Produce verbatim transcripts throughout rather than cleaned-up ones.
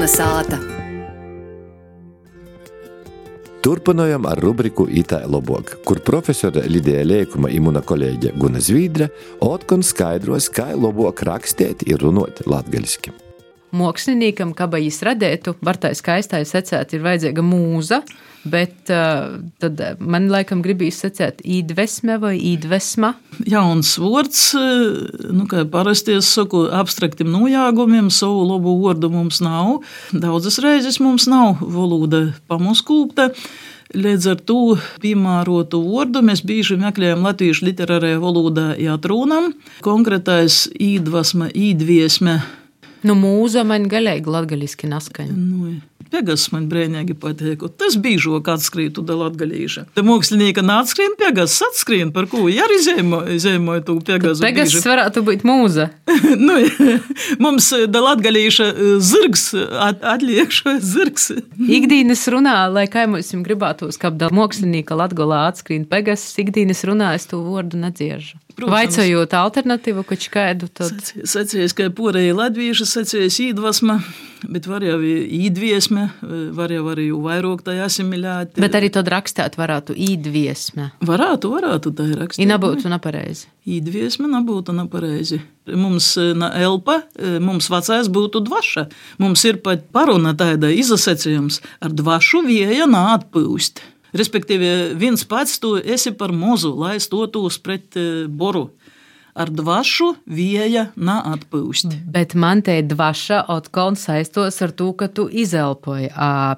Kalnasāta. Turpinājam ar rubriku Itai lobok, kur profesore Lidija Leikuma i muna kolēģe Guna Zvīdre otkon skaidros, kā lobok rakstēt i runot latgaliski. Māksliniekam, kaba jis radētu, var tā skaistai secēt, ir vajadzīga mūza, bet uh, tad man laikam gribīs secēt īdvesme vai īdvesma. Jauns vārds, nu, kā parasti es saku, abstraktim nojāgumiem, savu labu vārdu mums nav. Daudzas reizes mums nav valoda pamuskūpta. Līdz ar to piemērotu vārdu mēs bieži meklējam latviešu literārajā valodā jāatrūnam. Konkrētais īdvesma, īdviesme. Nu, mūza man galīgi latgaliski naskaņa. Nu, Pegas man brēņēgi pateik. Tas bīžok atskrītu da latgalīša. Te mākslinieka nācskrien Pegas, atskrien, par ko arī zemoja zemoja tu Pegasu. Pegas bīži. Varētu būt mūza. Nu, mums da latgalīša zirgs, at, atliekšo zirgs. Ikdīnas runā, lai kā mums gribētos, ka da mākslinieka latgolā atskrien Pegas, ikdīnas runā es tu vārdu nedziežu. Vaicojot alternatīvu, kač kādu tad? Sacījis, ka porēji latvieši, sacījis īdvasma, bet var jau īdviesme, var jau arī vairāk tā asimilēt. Bet arī tad rakstāt varētu īdviesme. Varētu, varētu tā rakstāt. I nabūtu napareizi. Īdviesme nabūtu napareizi. Mums na elpa, mums vecais būtu dvaša. Mums ir pat paruna tāda izasacījums ar dvašu vieja nāatpūst. Respektīvi, viens pats tu esi par mozu, lai stotos pret boru. Ar dvašu vieja neatpūst. Bet man te dvaša otkon saistos ar to, ka tu izelpoji.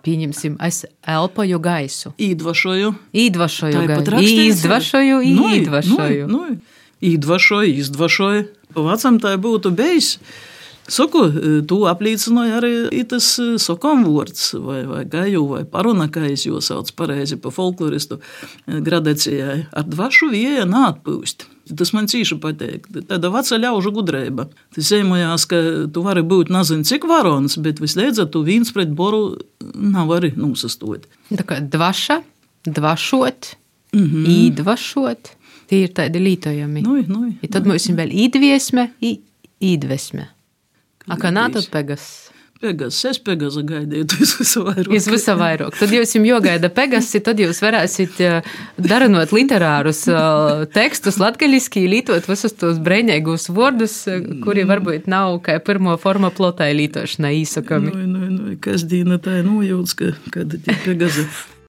Pieņemsim, es elpoju gaisu. Īdvašoju. Īdvašoju gaisu. Īzdvašoju, īdvašoju. Nu, nu, īdvašoju, izdvašoju. Pavacam tā būtu bejs. Saku, tu aplīcināji arī itas sokom vārds, vai, vai gaju, vai paruna, kā es jau sauc pareizi pa folkloristu gradācijai. Ar dvašu vieja nāatpūst. Tas man cīši pateik. Tāda veca ļaužu gudreiba. Tas ejmojās, ka tu vari būt nazin cik varons, bet visleidzot tu viens pret boru nav arī nūsastot. Tā kā dvaša, dvašot, mm-hmm. īdvašot, tie ir tādi lītojami. Nui, nui. I tad mums ir vēl īdviesme, īdvesme. A kā nā tad Pegas? Pegas, es Pegasa gaidīju, tu esi visu vairāk. Jūs visu vairāk. Tad jūs jums jogaida Pegasi, tad jūs varēsit daranot literārus tekstus latgaliski, lītot visus tos brēņēgus vārdus, kuri varbūt nav kā pirmo forma plotai lītošanai īsakami. Nu, nu, nu, kas dīna tā nojūts, ka, kad ir Pegasa.